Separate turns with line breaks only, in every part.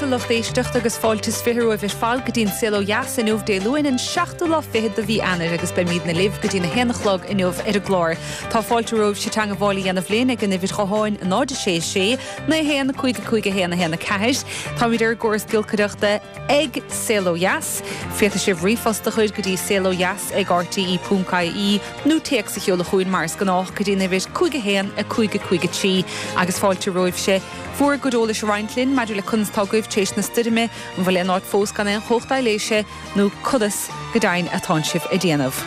a lucht éisteachta agus fáilte is 20 romhaibh ar fad go dtí an Saol Ó Dheas inniu Dé Luain an seachtú lá fichead de mhí Eanáir agus beimidne libh go dtí'n 1 a chlog inniu ar an gclár. Tá fáilte romhaibhse teangabháil a dhéanamh linn ag an uimhir ghutháin 0 6 6 9 1 5 5 1 1 4. Táimid ar an gcóras giolcaireachta ag Saol Ó Dheas. Féadfaidh sibh ríomhphost a chur go dtí saolodheas ag rte.ie nó téacs a sheoladh chugainn mar is gnách go dtí an uimhir 5 1 5 5 3 agus fáilte romhaibhse bhur gcuid eolais a roinnt linn maidir le conas atá agaibh tar éis na stoirme, an bhfuil aon áit fós gan aon chumhacht aibhléise nó conas go deimhin atánn sibh ag déanamh.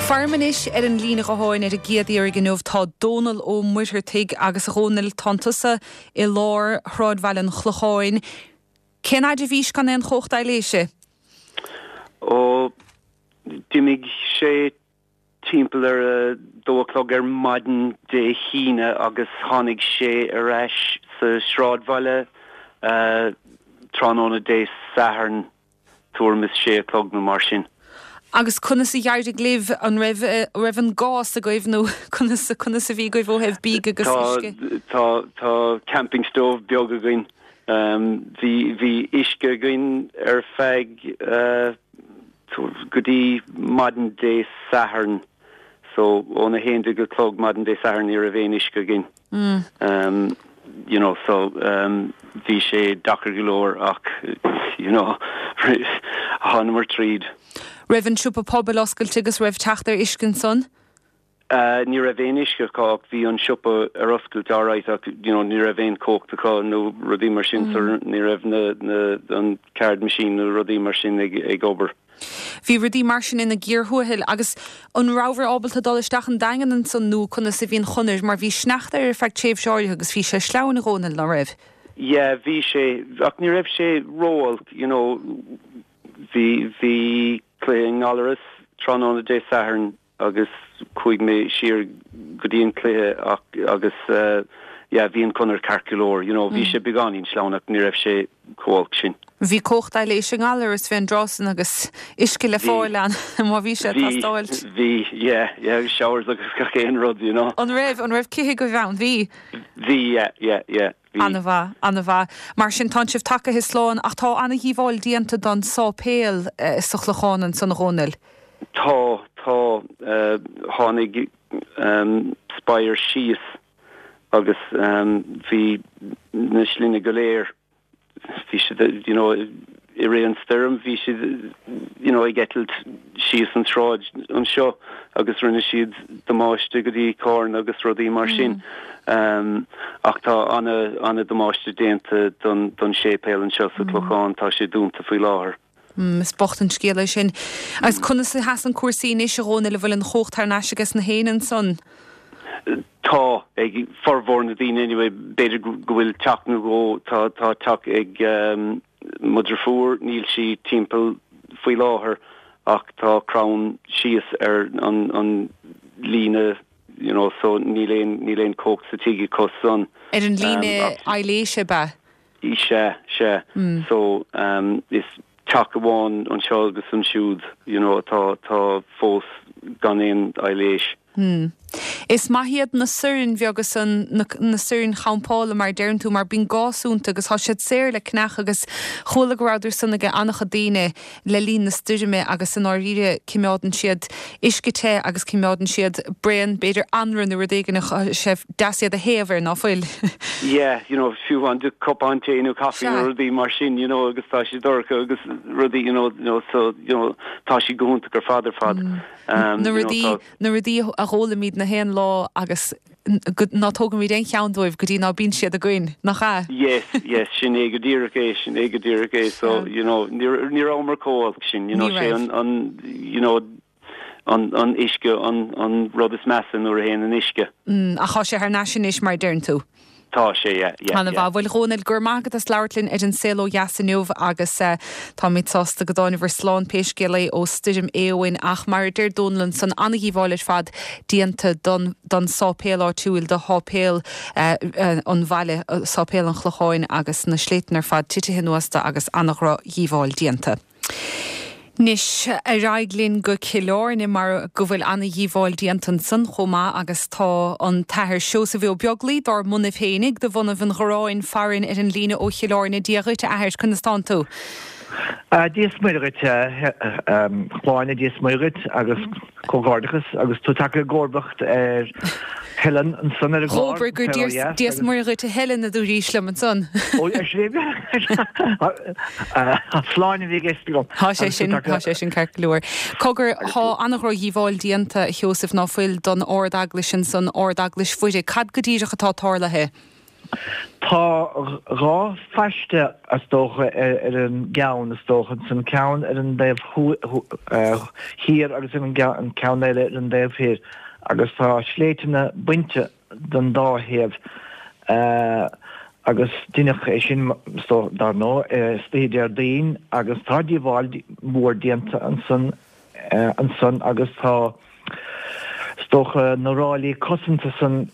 Faram anois ar an líne ghutháin ar an gcéad iarraidh inniu tá Dónal Ó Muircheartaigh agus a Dhónaill tánn tusa i lár shráidbhaile an Chlocháin. Cén fhaid a bhís gan aon chumhacht aibhléise?
Ó, d'imigh sé timpeall ar a dó a chlog ar maidin Dé hAoine agus tháinig sé ar ais sa sráidbhaile tráthnóna Dé Sathairn tuairim is sé a chlog nó mar sin.
Agus conas a d'éirigh libh? An raibh raibh an gás agaibh nó conas conas a bhí agaibh ó thaobh bídh agus uisce?
Tá tá camping stove beag againn. Bhí bhí uisce againn ar feadh go dtí maidin Dé Sathairn so óna 11 a chlog maidin Dé Sathairn ní raibh aon uisce againn you know so bhí sé deacair go leor ach you know thánamar tríd.
Raibh an siopa pobail oscailte agus raibh teacht ar uisce ansan?
Ní raibh aon uisce acu ach bhí an siopa ar oscailt alright ach you know ní raibh aon chumhacht acu nó rudaí mar sin so ní raibh na na an card machine nó rudaí mar sin ag ag obair.
Bhí rudaí mar sin ina gcíor thuathail agus an rabhabhair ábalta dul isteach an Daingean ansan nó conas a bhí an chonair mar bhí sneachta air ar feadh tréimhse áirithe agus bhí sé sleamhain a Dhónaill, ná raibh?
Yeah bhí sé ach ní raibh sé ró-olc you know bhí bhí cluiche i nGallaras tráthnóna Dé Sathairn agus chuaigh mé siar go dtí an cluiche ach agus yeah bhí an conair ceart go leor you know bhí sé beagáinín sleamhain ach ní raibh sé chomh holc sin.
Bhí cumhacht aibhléise i nGallaras fén dtráth san agus uisce le fáil ann má bhí sé ag teastáilt.
Bhí, yeah, yeah agus showers agus gach aon rud you know.
An raibh, an raibh cith agaibh ann? Bhí.
Bhí, yeah, yeah, yeah.
Bhí. Ana-mhaith, ana-mhaith. Mar sin, tánn sibh tagaithe slán ach tá ana-dhíobháil déanta don sáipéal sa Chlochán ansan, a Dhónaill.
Tá, tá. Tháinig spire síos agus bhí na slinne go léir, bhí siad, you know, i rith an stoirm bhí siad, you know, ag eitilt síos an tsráid anseo agus rinne siad damáiste go dtí carranna agus rudaí mar sin. Ach tá ana, ana damáiste déanta don, don séipéal anseo sa Chlochán, tá sé dúnta faoi láthair.
Is bocht an scéal é sin. Agus conas a sheasann cúrsaí anois, a Dhónaill, an bhfuil an chumhacht thar n-ais ages na héinne ansan?
Tá, ag formhór na daoine anyway, b'fhéidir go bhfuil teach nó dhó, tá, tá teach ag mo dheirfiúr, níl sí timpeall faoi láthair ach tá crann síos ar an, an líne you know so níl aon, níl aon chumhacht sa tigh acu san.
Ar an líne aibhléise ab ea?
Sea, sea. So is teach amháin anseo agus ansiúd you know atá, atá fós gan aon aibhléis.
Is maith iad na soirn bheaga san, na, na soirn champála mar a deireann tú, mar bíonn gás iontu agus tá siad saor le cneach agus chuala go rabhadar san ag an-chuid daoine le linn na stoirme agus i ndáiríre cimeádann siad uisce te agus cimeádann siad braon b'fhéidir anraith nó rud éigin tá sé deas iad a théamh air, ná fuil?
Yeah, you know, fiú amháin do cupán tae nó caife nó rudaí mar sin, you know, agus tá sé dorcha agus rudaí, you know, you know, so, you know, tá siad go hiontach ar fad ar fad.
Na rudaí, na rudaí a dh'fhoghlaimíd na haon lá agus go, ná tógaimíd aon cheann dóibh go dtí ná bíonn siad againn, nach ea?
Yes, yes, sin é go díreach é, sin é go díreach é, so, you know, ní, ní rabhamar chomh holc sin, you know, sé an, an, you know, an, an uisce an, an rud is measa nuair a théann an uisce.
Mm, ach tá sé thar n-ais anois mar a deireann tú.
Tá sé, yeah, yeah, yeah.
Ana-mhaith. Bhuel, a Dhónaill, go raibh maith agat as labhairt linn ar An Saol Ó Dheas inniu agus táimid sásta go dtánabhair slán pé scéal é ó Stoirm Éowyn ach mar a deir Dónal ansan, ana-dhíobháil ar fad déanta don don sáipéal áitiúil, do sháipéal an bhaile, Sáipéal an Chlocháin agus na sléibhte ar fad titithe anuas de agus ana-dhrochdhíobháil déanta. Anois, ar aghaidh linn go Cill Airne mar go bhfuil ana-dhíobháil déanta ansan chomh maith agus tá an tAthair Seosamh Ó Beaglaoi dár mbunaibh fhéinig, de bhunaibh an Ghorráin, farainn ar an líne ó Chill Airne. Dia dhuit, a Athair, conas tánn tú?
Dia is Muire dhuit, a Shláine, Dia is Muire dhuit agus Comhghairdeachas agus tú tagtha i gcomharbacht ar Helen ansan ar an gclár,
Dhóbair gur Dia is Muire dhuit a Helen a dúraís liom ansan.
Ó, ar sin é? Sláine a bhí i gceist agam.
Tá sé sin, tá sé sin ceart go leor. Cogar, tá an-dhroch-dhíobháil déanta, a Sheosaimh, ná fuil don Ard-Eaglais ansan, Ard-Eaglais Mhuire. Cad go díreach atá tarlaithe?
Tá 2 phaiste is dócha ar an gceann is dócha, an ceann ar an dtaobh thiar agus an ceann eile ar an dtaobh thoir agus tá sléibhteanna bainte den dá thaobh agus deineadh é sin dar ndóigh istoíche Déardaoin agus tá díobháil mhór déanta ansan ansan agus tá is dócha na ráillí cosanta san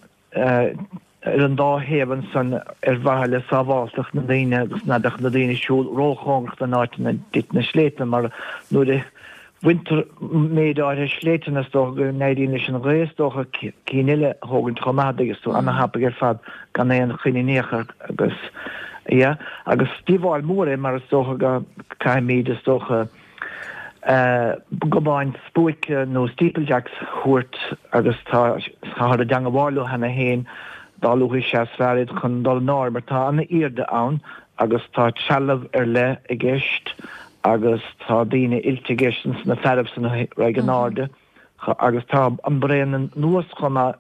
ar an dá thaobh ansan ar mhaithe le sábháltacht na ndaoine agus ná beadh na daoine ag siúl róchóngarach don áit ina dtiteann na sléibhteanna mar nuair a bhaintear méid áirithe sléibhteanna is dócha go n-éiríonn leis an ghaoth is dócha cinn eile a thógaint chomh maith agus tú ana-thapaidh ar fad gan aon choinne in aon chor agus yeah agus díobháil mhór é mar is dócha go caithfimid is dócha gobáin spuaice nó steeplejacks a thabhairt agus tá táthar i dteangabháil leo cheana féin, dá luaithe is ea is fearr iad chun dul in airde mar tá an-airde ann agus tá trealamh ar leith i gceist agus tá daoine oilte i gceist ins na fearaibh san a raghaidh in airde agus tá an braon anuas chomh maith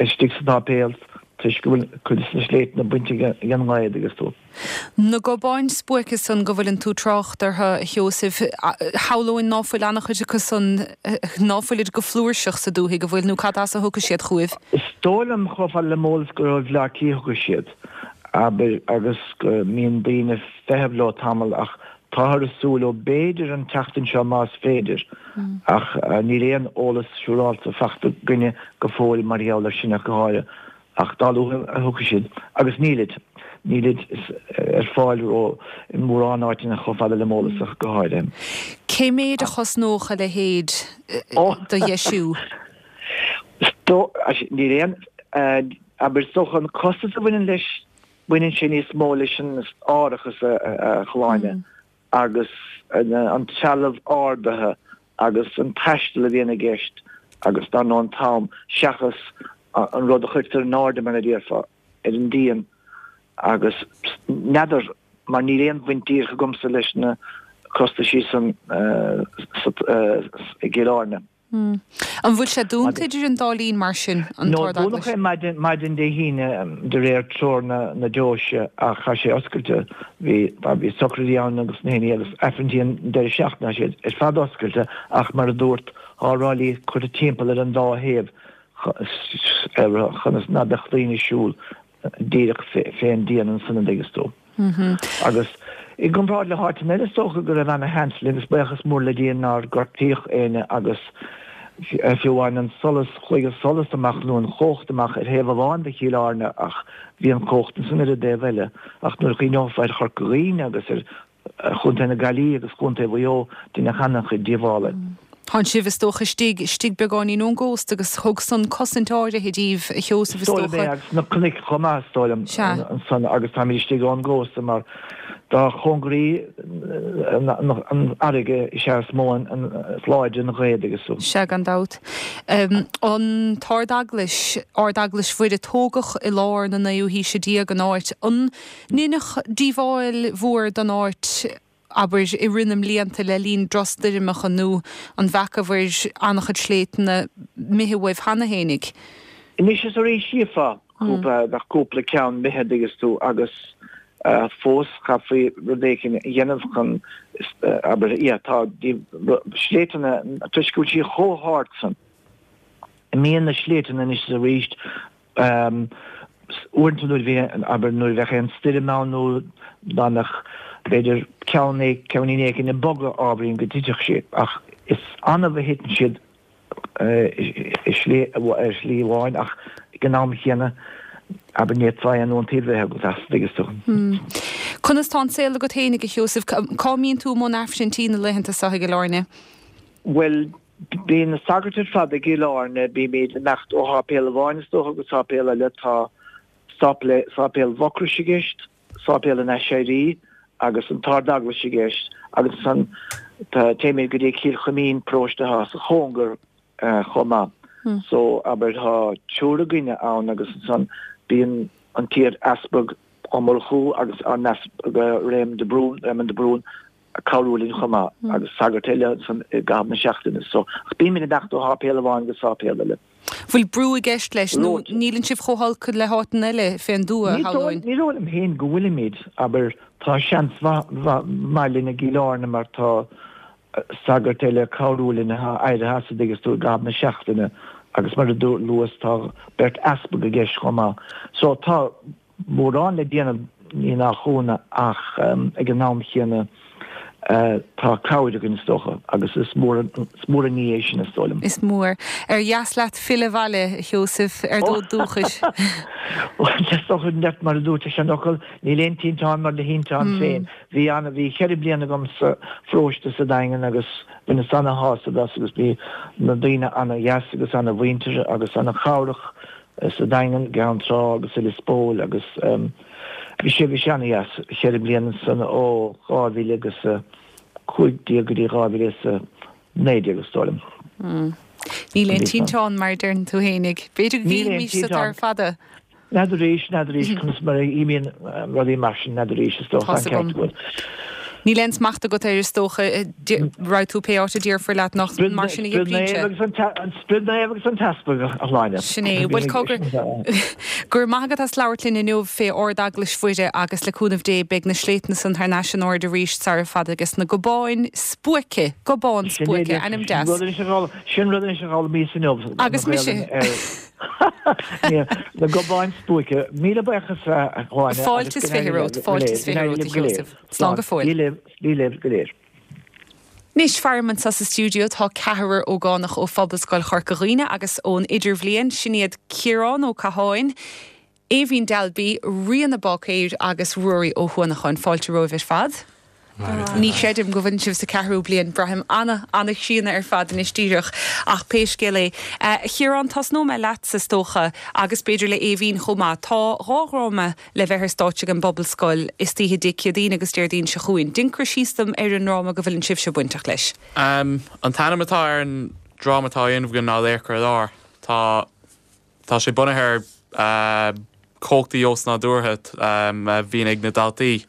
istigh sa tsáipéal toisc go bhfuil cuid de na sléibhteanna bainte ag an ngaoth agus tú.
Na gobáin spuaice san go bhfuileann tú trácht orthu, a Sheosaimh, shamhlóinn ná fuil an-chuid acu san, ná fuilid go flúirseach sa dúthaigh, an bhfuil, nó cad as a thiocfaidh siad chugaibh?
Is dóigh liom, chomh fada le m'eolas, gur ó Bhleá Cliath a thiocfaidh siad, abair, agus go mbíonn daoine ag feitheamh leo tamall ach Táthar ag súil leo b'fhéidir an tseachtain seo más féidir, ach níl aon eolas siúrálta fachta againne go fóill mar gheall air sin ach go háirithe. Ach dá luaithe a thiocfaidh siad, agus nílid, nílid ar fáil ró i mórán áiteanna chomh fada le m'eolas ach go háirithe.
Cé méid a chosnódh a leithéid do dheisiú?
Níl aon, abair, is dócha an costas a bhaineann leis Baineann sé níos mó leis an árachas a Shláine agus an trealamh ardaithe agus an taisteal a bhíonn i gceist agus dar ndóigh an t-am seachas an rud a chuirtear in airde mar a déarfá ar an díon agus n'fheadar mar níl aon bhaint díreach agamsa leis na costaisí san i gCill Airne.
An bhfuil sé dúnta idir an dá linn mar sin,
an No, dúnadh
tArd-Eaglais?
é maidin, maidin Dé hAoine de réir treoir na, na deoise ach tá sé oscailte. Bhí, bhí socraidí ann agus na hinní agus aifrinntí an deireadh seachtaine, tá siad ar fad oscailte ach mar a dúrt, tá ráillí curtha timpeall ar an dá thaobh chun is ná beadh daoine ag siúl díreach fén díon ansan an dtuigeas tú. Agus i gcomparáid le háiteanna eile is dócha go raibh ana sheans linn agus buíochas mór le Dia nár gortaíodh éinne agus fiú amháin an solas, chuaigh an solas amach nó an chumhacht amach ar thaobh amháin de Chill Airne ach bhí an chumhacht ansan ar an dtaobh eile. Ach nuair a chuimhneofá ar Chorca Dhuibhne agus ar Chontae na Gaillimhe agus Chontae Mhaigh Eo, deineadh an-chuid díobhála.
Tánn sibh, is dócha, istigh, istigh beagáinín ón gcósta agus thug san cosaint áirithe díbh, a Sheosaimh,
is dócha. Is dóigh liom é, agus na cnoic chomh maith, is dóigh liom, ansan agus táimid istigh ón gcósta mar dá chóngaraí an fharraige is ea is mó an, is láidre an ghaoth agus.
Sea, gan dabht. An tArd-Eaglais, Ard-Eaglais Mhuire, tógadh i lár na naoú haoise déag an áit. An ndeineadh díobháil mhór don áit, abair, i rith na mblianta le linn drochstoirmeacha nó an bhfeacabhair an-chuid sléibhteanna imithe uaibh cheana fhéinig?
Anois is arís chífeá cúpla, bheadh cúpla ceann imithe an dtuigeas tú agus fós chaithfí rud éicint a dhéanamh chun, abair, yeah, tá sléibhteanna, toisc go bhfuil sí chomh hard san, imíonn na sléibhteanna anois is arís Uaireanta nuair a bhí, abair, nuair a bheadh aon stoirm ann nó dá mbeadh, b'fhéidir, ceann, ceainnín éicint ag bogadh ábhairín go dtitfeadh sí. Ach is annamh a thiteann siad i slí, ar shlí amháin ach ag an am chéanna, abair, ní fhéadfá aon iontaoibh a bheith agat as, an dtuigeas tú.
Conas tá an saol agat fhéinig, a Sheosaimh? Cá mbíonn tú i mbun Aifrinntí na laethanta seo i gCill Airne?
Bhuel, bíonn na sagairt ar fad i gCill Airne, bímid ag imeacht ó sháipéal amháin is dócha go sáipéal eile, tá sáipéal Mhucrois i gceist, Sáipéal an Aiséirí agus an tArd-Eaglais i gceist agus ansan téimid go dtí Cill Chuimín, paróiste atá sa chóngar chomh maith. So, abair, tá triúr againne ann agus ansan bíonn an t-iar-easpag Ó Murchú agus ár n-easpag Réamonn de Brún, Raymond de Brún, ag cabhrú linn chomh maith agus sagart eile ansan i gcaitheamh na seachtaine. So, ach bímid ag imeacht ó sháipéal amháin go sáipéal eile.
Bhfuil brú i gceist leis nó níleann sibh chomh holc le háiteanna eile fén dtuath,
shamhlóinn? Ní dóigh liom féin go bhfuilimid, abair, tá seans mhaith linn i gCill Airne mar tá sagart eile ag cabhrú linn atá éirithe as an dtuigeann tú i gcaitheamh na seachtaine agus mar a luas tá beirt easpag i gceist chomh maith. So tá mórán le déanamh, ní nach ionadh, ach ag an am chéanna tá cabhair againn is dócha agus is mór an ní é sin is dóigh liom.
Is mór. Ar dheas leat filleadh abhaile, a Sheosaimh, ar d'fhód dúchais?
Bhuel, is dócha, mar a dúirt an seanfhocal, níl aon tinteán mar do thinteán féin. Bhí ana, bhí cheithre bliana agam sa pharóiste sa Daingean agus bhaineas ana-shásamh as agus bhí na daoine ana-dheas agus ana-mhuinteartha agus ana-chabhrach sa Daingean, gCeann Trá agus i Lios Póil agus bhí sé, bhí sé ana-dheas, cheithre bliana ansan ó 2000 agus 15 go dtí 2019 is dóigh liom.
Níl aon tinteán mar a deireann tú fhéinig. B'fhéidir go
gcaillfimís
sa tar fada.
N'fheadar arís, n'fheadar arís conas mar a imíonn rudaí mar sin, n'fheadar arís, is dócha,
an ceart agat. Níl aon smacht agat air is dócha, raghaidh tú pé áit a déarfar leat nach mar sin a
oibríonn sé. An Sprid Naomh agus an tEaspag, a Shláine.
Sin é. Bhuel, cogar, go raibh maith agat as labhairt linn inniu fé Ard-Eaglais Mhuire agus le cúnamh Dé beidh na sléibhte san thar n-ais in airde arís sara fada agus na gobáin spuaice, gobán spuaice, ainm deas.
Sin rud anois a d'fhoghlaimíos inniu.
Agus mise.
Na gobáin spuaice. Míle buíochas a
Shláine. Fáilte is 20 romhat, fáilte is 20 romhat a Sheosaimh. Slán go fóill.
Dia libh go léir.
Anois, faram anseo sa stiúideo tá ceathrar ógánach ó Phobalscoil Chorca Dhuibhne agus ón Idirbhliain, sin iad Ciarán Ó Catháin, Aoibhín Dalby, Ríona Báicéir agus Ruairí Ó hUanacháin. Fáilte romhaibh ar fad. Ní chreidim go bhfuileann sibh sa ceathrú bliain. Braithim ana-ana-chríonna ar fad anois díreach, ach pé scéal é. A Chiaráin, tosnóidh mé leatsa is dócha, agus b'fhéidir le Aoibhín chomh maith. Tá dhá dhráma le bheith ar stáitse ag an bPobalscoil istoíche Dé Céadaoin agus Déardaoin seo chugainn. Déan cur síos dom ar an ndráma go bhfuileann sibhse bainteach leis.
An t-ainm atá ar an dráma atá á dhéanamh againn ná Laochra ar Lár. Tá. Tá sé bunaithe ar chumhachtaí osnádúrtha a bhíonn ag na daltaí.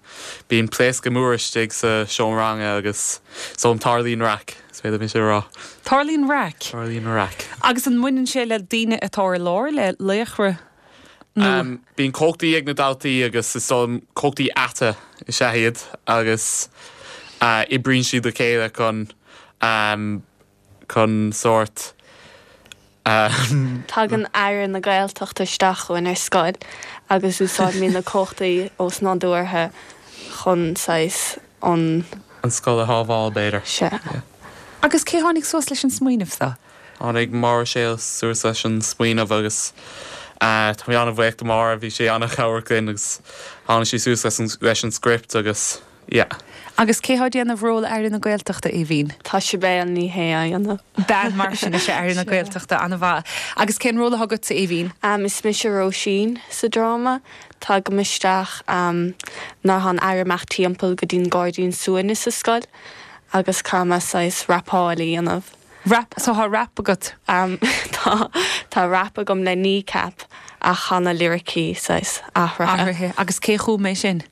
Bíonn pléascadh mór istigh sa seomra ranga agus so tarlaíonn raic, is féidir liom sin a rá.
Tarlaíonn raic?
Tarlaíonn raic.
Agus an mbaineann sé le daoine atá ar lár, le laochra
nó? Bíonn cumhachtaí ag na daltaí agus is dóigh liom cumhachtaí aite is ea iad agus oibríonn siad le chéile chun chun sórt.
Tagann Aire na Gaeltachta isteach chugainn ar scoil agus úsáidimid na cumhachtaí osnádúrtha chun saghas an.
an scoil a shábháil, b'fhéidir.
Sea.
Agus cé tháinig suas leis an smaoineamh seo?
Tháinig Máire Séal suas leis an smaoineamh agus tá mé an-bhuíoch de Mháire, bhí sí an-chabhrach linn agus tháinig sí suas leis an script agus Yeah.
Agus cé thá déanamh ról Aire na Gaeltachta, Aoibhín?
Tá Sibéal Ní Shé á dhéanamh.
Bean mar sin is ea Aire na Gaeltachta, an-mhaith. Agus cén ról atá agatsa, Aoibhín?
Is mise Róisín sa dráma. Tagaim isteach nuair atá an Aire ag imeacht timpeall go dtí'n gairdín suaimhnis sa scoil agus caithfidh mé saghas rapáil a dhéanamh.
Rap, so thá rap agat?
Tá, tá rap agam le Kneecap ach tá na liricí saghas athraithe.
Athraithe. Agus cé chum é sin?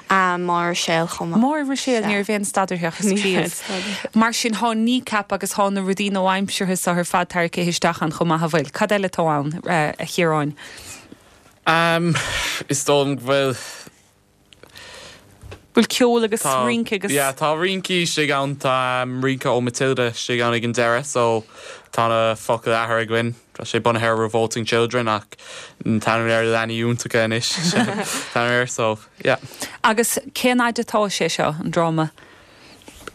Máire Ruiséal chomh
maith. Máire Ruiséal, ní raibh aon stad uirthi ach ag scríobh. Mar sin thá Kneecap agus thá na rudaí nua-aimseartha so ar fad tarraicthe isteach ann chomh maith, an bhfuil? Cad eile atá ann, a Chiaráin?
Is dóigh liom go bhfuil
Bhfuil ceol agus rince agus.
Yeah, tá rince istigh ann, tá rince ó Matilda istigh ann ag an deireadh so tá na focail athraithe againn. Tá sé bunaithe ar Revolting Children ach an t-ainm air Leanaí Iontacha anois an t-ainm air so yeah.
Agus cén fhaid atá sé seo, an dráma?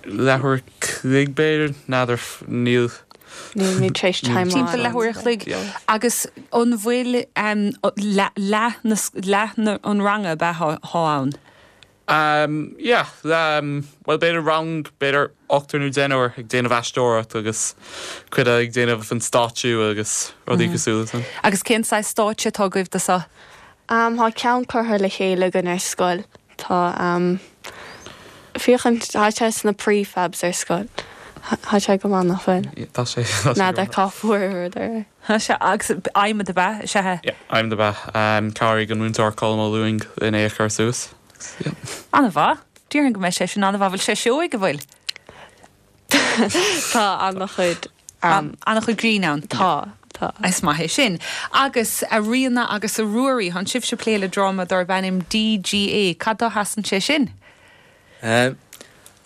Leathuair a chloig b'fhéidir, n'fheadar, níl.
Nílimid tar éis
timeáil. Timpeall leathuair a chloig. Agus an bhfuil leath na, leath an ranga ab ea thá ann?
Um, yeah, um, bhuel b'fhéidir rang, b'fhéidir ochtar nó deichniúr ag déanamh aisteoireacht agus cuid ag déanamh an stáitsiú agus rudaí cosúil leis sin.
Agus cén saghas stáitse atá agaibh do seo?
Um, tá ceann curtha le chéile againn ar scoil. Tá, um, féachaint, tá sé sna prefabs ar scoil. Tá sé go maith nach bhfuil?
Yeah, tá sé, tá sé go
N'fheadar cá fuair rud ar é.
Tá sé, agus adhmad ab ea? Is ea.
Yeah, adhmad ab ea. Chabhraigh an múinteoir Colm Ó Lúing linn é a chur suas. Yeah.
An-mhaith. Déarfainn go mbeidh sé sin an-mhaith. Bhfuil sé seoigh, an bhfuil?
Tá an-chuid.
An-chuid grinn ann.
Tá, tá.
Is maith é sin. Agus a Ríona agus a Ruairí, tánn sibhse ag plé le dráma darb ainm DGA. Cad dó sheasann sé sin?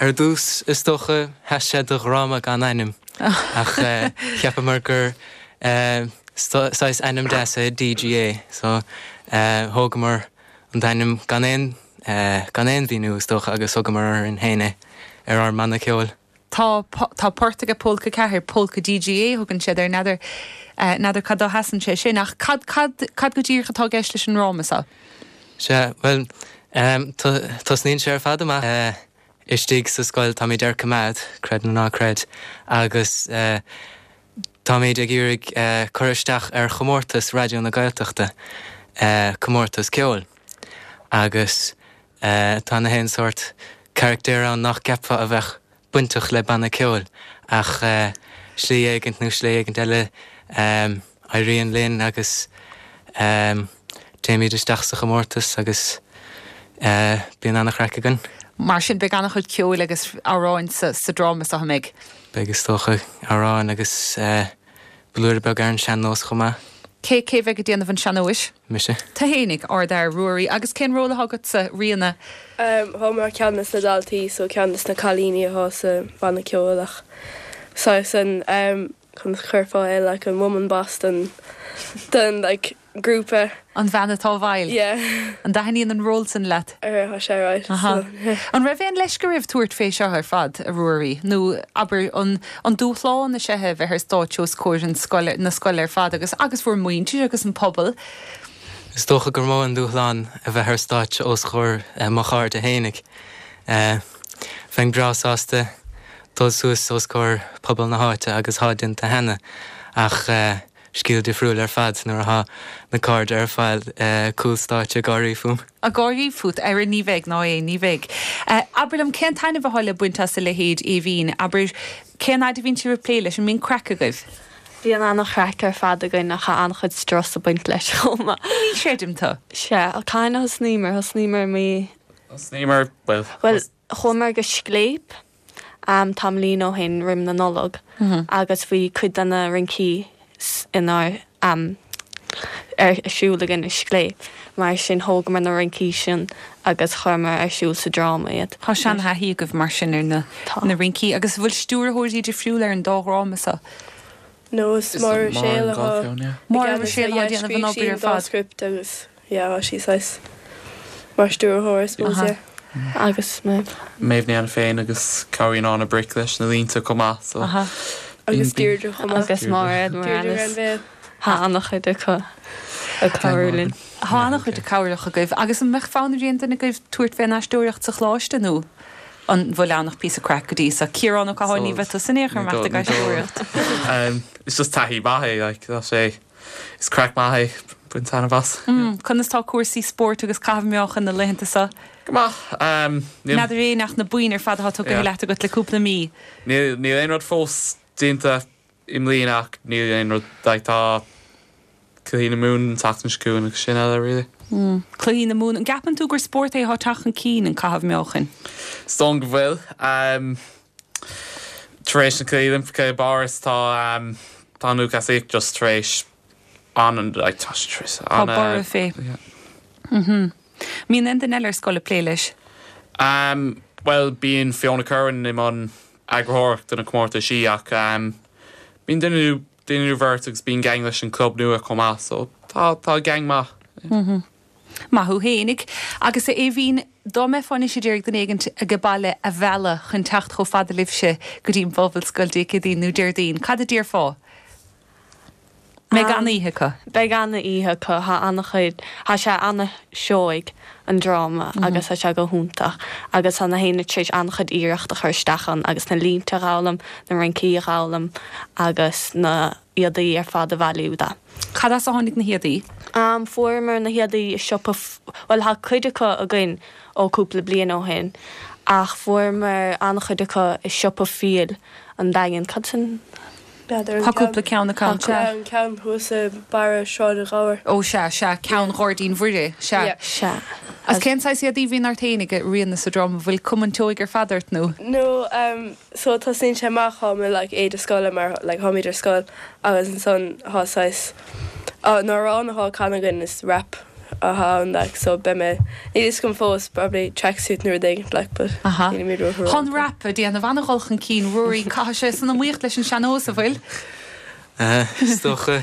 Ar dtús, is dócha, sheas sé do dhráma gan ainm, ach cheapamar gur saghas ainm deas é DGA, so thógamar an t-ainm gan aon, gan aon mhíniú, is dócha, agus thugamar orainn féin é ar ár mbanna ceoil.
Tá, tá port aige Pólca 4, Pólca DGA a thugann siad air, n'fheadar, n'fheadar cad dó sheasann sé sin, ach cad, cad, cad go díreach atá i gceist leis an ndráma seo?
Sea, bhuel, tosnaíonn sé ar fad amach istigh sa scoil, táimid ar coimeád, creid nó ná creid, agus táimid ag iarraidh cur isteach ar chomórtas Raidió na Gaeltachta, comórtas ceoil, agus tá na haon sórt carachtair ann nach gceapfá a bheadh bainteach le banna ceoil, ach slí éigint nó slí éigint eile éiríonn linn agus téimid isteach sa chomórtas agus bíonn an-chraic againn.
Mar sin, beidh an-chuid ceoil agus amhráin sa dráma seo, an mbeidh?
Beidh is dócha, amhráin agus blúire beag ar an sean-nós chomh maith.
Cé, cé bheidh ag déanamh an sean-nóis?
Mise.
Tú fhéinig, ardfhear, Ruairí. Agus cén ról atá agatsa, Ríona?
Tá mé ar ceann des na daltaí so ceann des na cailíní atá sa bhanna ceoil ach saghas an conas a chuirfeá é like an woman boss den den like grúpa.
An bhean atá i bhfeighil?
Yeah.
An dtaitníonn an ról sin leat?
Tá sé alright so
yeah. An raibh aon leisce oraibh tabhairt fé seo ar fad, a Ruairí? Nó abair an an dúshlán is ea é a bheith ar stáitse os comhair an scoil, na scoile ar fad agus agus bhur muintir agus an pobal?
Is dócha gur mó an dúshlán a bheith ar stáitse os comhair mo chairde fhéinig. Bheinn breá sásta dul suas os comhair pobal na háite agus thá déanta cheana ach scéal difriúil ar fad nuair athá na cairde ar fad cúl stáitse ag gáirí fúm.
Ag gáirí fút? Ara ní bheidh, ná é, ní bheidh. Abair liom, cén taitneamh athá le baint as a leithéid, Aoibhín? Abair, cén fhaid a bhíonn sibh ag plé leis? An mbíonn craic agaibh?
Bíonn an-chraic ar fad againn ach tá an-chuid strus ag baint leis chomh maith.
Ní chreidim
tú. Sea, cathain a thosnaíomar? Thosnaíomar i mí.
Thosnaíomar, bhuel.
Bhuel, chuamar go Scléip tamaillín ó shin roim na Nollag agus bhí cuid de na rincí inár ar siúl againn i Scléip. Mar sin thógamar na rincí sin agus chuireamar ar siúl sa dráma iad.
Tá sean-thaithí agaibh mar sin ar na na rincí. Agus an bhfuil stiúrthóirí difriúla ar an dá dhráma seo?
No, is Máire Ruiséal
atá Máire Ruiséal atá ag déanamh an obair ar fad.
script agus yeah tá sí saghas mar stiúrthóir I suppose yeah.
Agus
Méabh. Méabh Ní Ainiféin agus cabhraíonn Áine Bric leis na línte chomh maith so.
Agus Deirdre chomh maith.
Agus Máiréad Moranis. Tá an-chuid acu ag cabhrú linn.
Tá an-chuid cabhrach agaibh. Agus an mbeadh fonn ar aon duine agaibh tabhairt fén aisteoireacht sa choláiste nó an bhfuil ann ach píosa craic go dtí so? Ciarán Ó Catháin, ní bheidh tusa in aon chor ag imeacht ag aisteoireacht.
Is just taithí maith é like tá sé is craic maith é bain taitneamh as.
Conas tá cúrsaí spóirt agus caitheamh meáchain na laethanta
seo? Go maith.
Níl. N'fheadar éinne ach na boinn ar fad atá tugtha leat agat le cúpla mí.
Níl níl aon rud fós déanta i mbliana ach níl aon rud like tá Cluichí na Mumhan an tseachtain seo chugainn agus sin eile really.
Cluichí na Mumhan. An gceapann tú gur spórt é atá ag teacht chun cinn, an caitheamh meáchain?
Is dóigh go bhfuil. Tar éis na Cluichí Oilimpeacha i bPáras tá tá an lúthchleasaíocht just tar éis an like tá sé tar éis
Tá borradh fé. Yeah. Mbíonn aon duine eile ar scoil ag plé leis?
Bhuel bíonn Fiona Curran i mbun eagraitheoireacht do na comórtaisí ach bíonn duine nó duine nó bheirt agus bíonn gang leis an club nua chomh maith so tá tá gang maith.
Maith thú fhéinig. Agus a Aoibhín, dá mbeifeá anois a d'iarraidh duine éigint age baile a mhealladh chun teacht chomh fada libhse go dtí an Phobalscoil Dé Céadaoin nó Déardaoin, cad a déarfá? Beidh an-oíche acu.
Beidh an-oíche acu. Tá an-chuid, tá sé an-seoigh, an dráma, agus tá sé go hiontach. Agus tá na héinne tar éis an-chuid iarracht a chur isteach ann agus na línte a dh'fhoghlaim, na rincí a dh'fhoghlaim agus na héadaí ar fad a bhailiú de.
Cad as a tháinig na héadaí?
Fuaireamar na héadaí i siopa, bhuel tá cuid acu againn ó cúpla bliain ó shin ach fuaireamar an-chuid acu i siopa Fiail an Daingin. Cad sin?
B'fhéidir an
Tá cúpla ceann acu,
sea. An ceann thuas i barra Sráid an Ghabhair.
Ó sea, sea, ceann Ghairdín Mhuire, sea.
Yeah.
Sea.
Agus cén saghas éadaí a bhíonn ort fhéinig, a Ríona, sa dráma? Bhfuil cuma an tseoigh ar fad ort nó?
No, um, so tosnaíonn sé amach, táim i like éide scoile mar like tháimid ar scoil agus ansan thá saghas, an amhrán athá á canadh againn is rap athá ann like so beidh mé, níl fhios agam fós, probably tracksuit nó rud éigin like but
Aha.
nílimid
ró
Tá
an rap ag déanamh an-dhul chun cinn, Ruairí, caithfidh sé san iomaíocht leis an sean-nós, an bhfuil?
Is dócha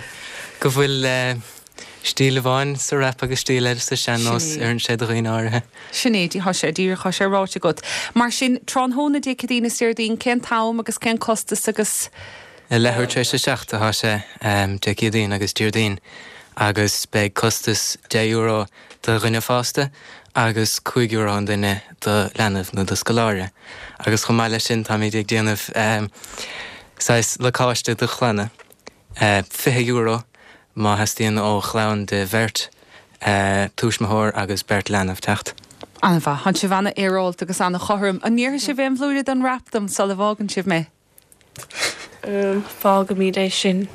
go bhfuil stíl amháin sa rap agus stíl eile sa sean-nós,
Sin é.
oireann sé do dhaoine áirithe.
Sin é, tá sé díreach, tá sé ráite agat. Mar sin, tráthnóna Dé Céadaoin is Déardaoin, cén t-am agus cén costas agus.
A leathuair tar éis a 7 atá sé, Dé Céadaoin agus Déardaoin, agus beidh costas €10 do dhuine fásta agus €5 an duine do leanbh nó do scoláire. Agus chomh maith leis sin táimid ag déanamh saghas lacáiste do chlanna, €20 má theastaíonn ó chlann de bheirt tuismitheoir agus beirt leanbh teacht.
An-mhaith. Tá sibh an-fhéaráilte agus an-chothrom. An ndéarfaidh sibh aon bhlúire den rap dom sula bhfágann sibh mé?
Fágaimid é sin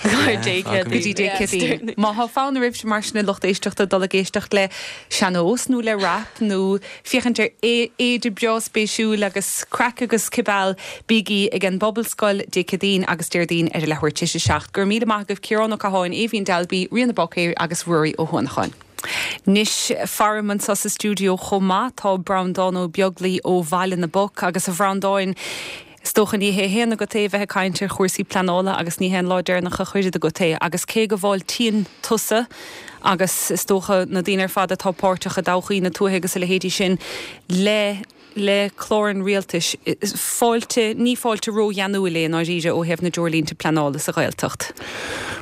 go Dé
Go dtí Dé Céadaoin. Má thá fonn oraibhse mar sin a lucht éisteachta dul ag éisteacht le sean-nós nó le rap nó féachaint ar éide breá spéisiúil agus craic agus cibeal, bígí ag an bPobalscoil Dé Céadaoin agus Déardaoin ar a leathuair tar éis a 7. Go raibh míle maith agaibh Ciarán Ó Catháin, Aoibhín Dalby, Ríona Báicéir agus Ruairí Ó hUanacháin. Anois, faram anseo sa stiúideo chomh maith tá Breandán Ó Beaglaoi ó Bhaile na bPoc agus a Bhreandáin, is dócha ní hé a haon agat é a bheith ag caint ar chúrsaí pleanála agus ní hé an lá deireanach a chuirfead agat é agus cé go bhfáiltíonn tusa agus is dócha na daoine ar fad atá páirteach i dtodhchaí na tuaithe agus a leithéidí sin le le clár an rialtais, fáilte, ní fáilte rógheanúil é i ndáiríre ó thaobh na dtreoirlínte pleanála sa Ghaeltacht.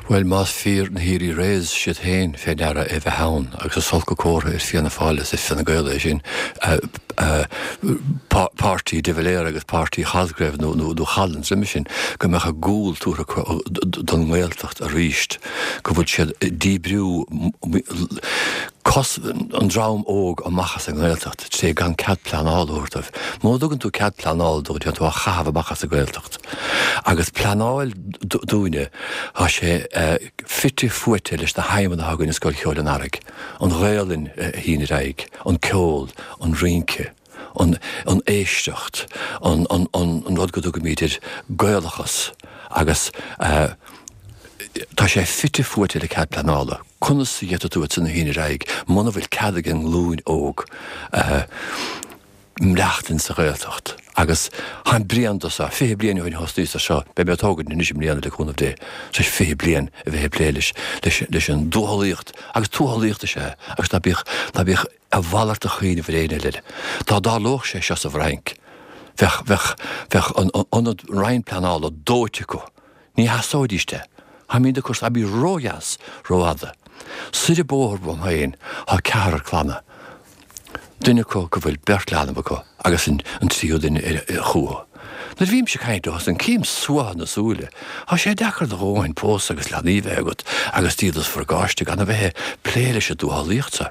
Bhuel, más fíor na hÉirí Reyes siad féin fé ndeara é bheith ann, agus is olc an comhartha ar Fianna Fáil is ar Fine Gael é sin, páirtí de Valera agus páirtí Cosgrave nó nó Collins roimhe sin, go mbeadh a gcúl tabhartha acu don nGaeltacht aríst, go bhfuil siad ag díbriú cos an dream óg amach as an nGaeltacht. tré gan cead pleanála a thabhairt dóibh. Muna dtugann tú cead pleanála dóibh téann tú á chaitheamh amach as an Ghaeltacht. Agus pleanáil dúinne, tá sé fite fuaite leis na haidhmeanna atá againn i Scoil Cheoil an Earraigh, an Ghaelainn a shíneadh ar aghaidh, an ceol, an rince, an an éisteacht, an an an rud go dtugaimid air Gaelachas agus tá sé fite fuaite le cead pleanála. Conas a d'fhéadfadh tú iad san a shíneadh ar aghaidh muna bhfuil cead ag an nglúin óg maireachtaint sa Ghaeltacht? Agus táim bréan de seo, 20 bliain ó shin a thosnaíos ar seo, beidh mé ag tógaint anois i mbliana le cúnamh Dé, tar éis 20 bliain a bheith ag plé leis, leis, leis an dtuathalaíocht, agus tuathalaíocht is ea é, agus ná bíodh, ná bíodh a mhalairt de chuimhneamh ar éinne eile. Dá dtarlódh sé seo sa bhFrainc, bheadh, bheadh, bheadh an ionad Roinn Pleanála dóite acu. Ní theastóidís de. Táimid ag cur stabaí ródheas, rófhada. Soir an bóthar uaim féin thá ceathrar clanna. Duine acu go bhfuil beirt leanbh acu agus an tríú duine chúthu. Nuair a bhímse ag caint leo san cím suaitheadh na súile. Thá sé deacair do dhóthain pósadh agus leanaí bheith agat agus díol is phacáiste gan a bheith ag plé leis an dtuathalaíocht so.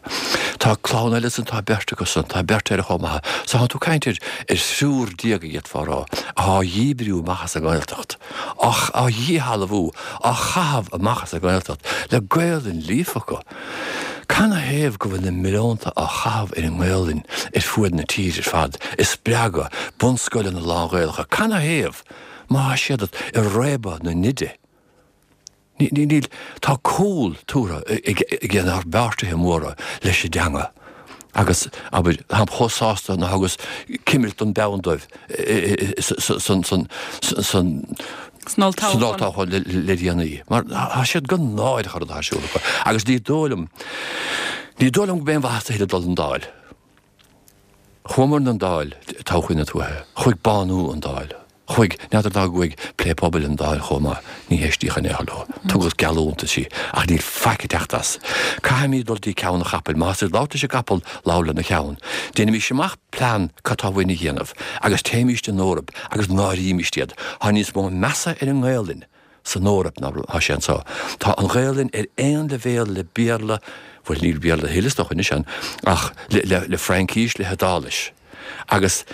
Tá clann eile san tá beirt acu san, tá beirt eile chomh maith. So thánn tú ag caint ar thriúr déag a d'fhéadfá a rá, athá á dhíbriú amach as an nGaeltacht. á dhíshealbhú, á chaitheamh amach as an nGaeltacht, le Gaelainn líofa acu. Canathaobh go bhfuil na milliúnta á chaitheamh ar an nGaelainn ar fuaid na tíre ar fad, ag spreagadh bunscoileanna lán-Ghaelacha? Canathaobh, má thá siad ag réabadh na n-oide? Níl, tá cúl tabhartha ag ár bpáirtithe móra leis an dteanga agus, abair, táim chomh sásta nár thugas cimilt don bpeann dóibh san olltoghchán le déanaí, mar tá siad go náireach an rud atá ar siúl acu agus ní dóigh liom, ní dóigh liom go mbeidh aon mhaitheas a thuilleadh dul don Dáil. Chuamar 'on Dáil, todhchaí na tuaithe, chuaigh bánú 'on Dáil. Chuaigh, n'fheadar dá gcuaigh Plé Pobail an Dáil chomh maith, ní héistíodh in aon chor leo. Tugadh geallúntaisí, ach níl faic ag teacht as. Caithfimid dul dtí ceann an chapaill. Má tá tú ag labhairt leis an gcapall, labhair lena cheann. Déanaimís amach plean cad tá uainn a dhéanamh, agus téimíst an Eoraip agus náirímíst iad. Tá níos mó measa ar an nGaelainn san Eoraip ná tá sé anseo. Tá an Ghaelainn ar aon leibhéal le Béarla, bhuel níl Béarla a thuilleadh is dócha anois ann, ach le Fraincís, le hIodáilis. Agus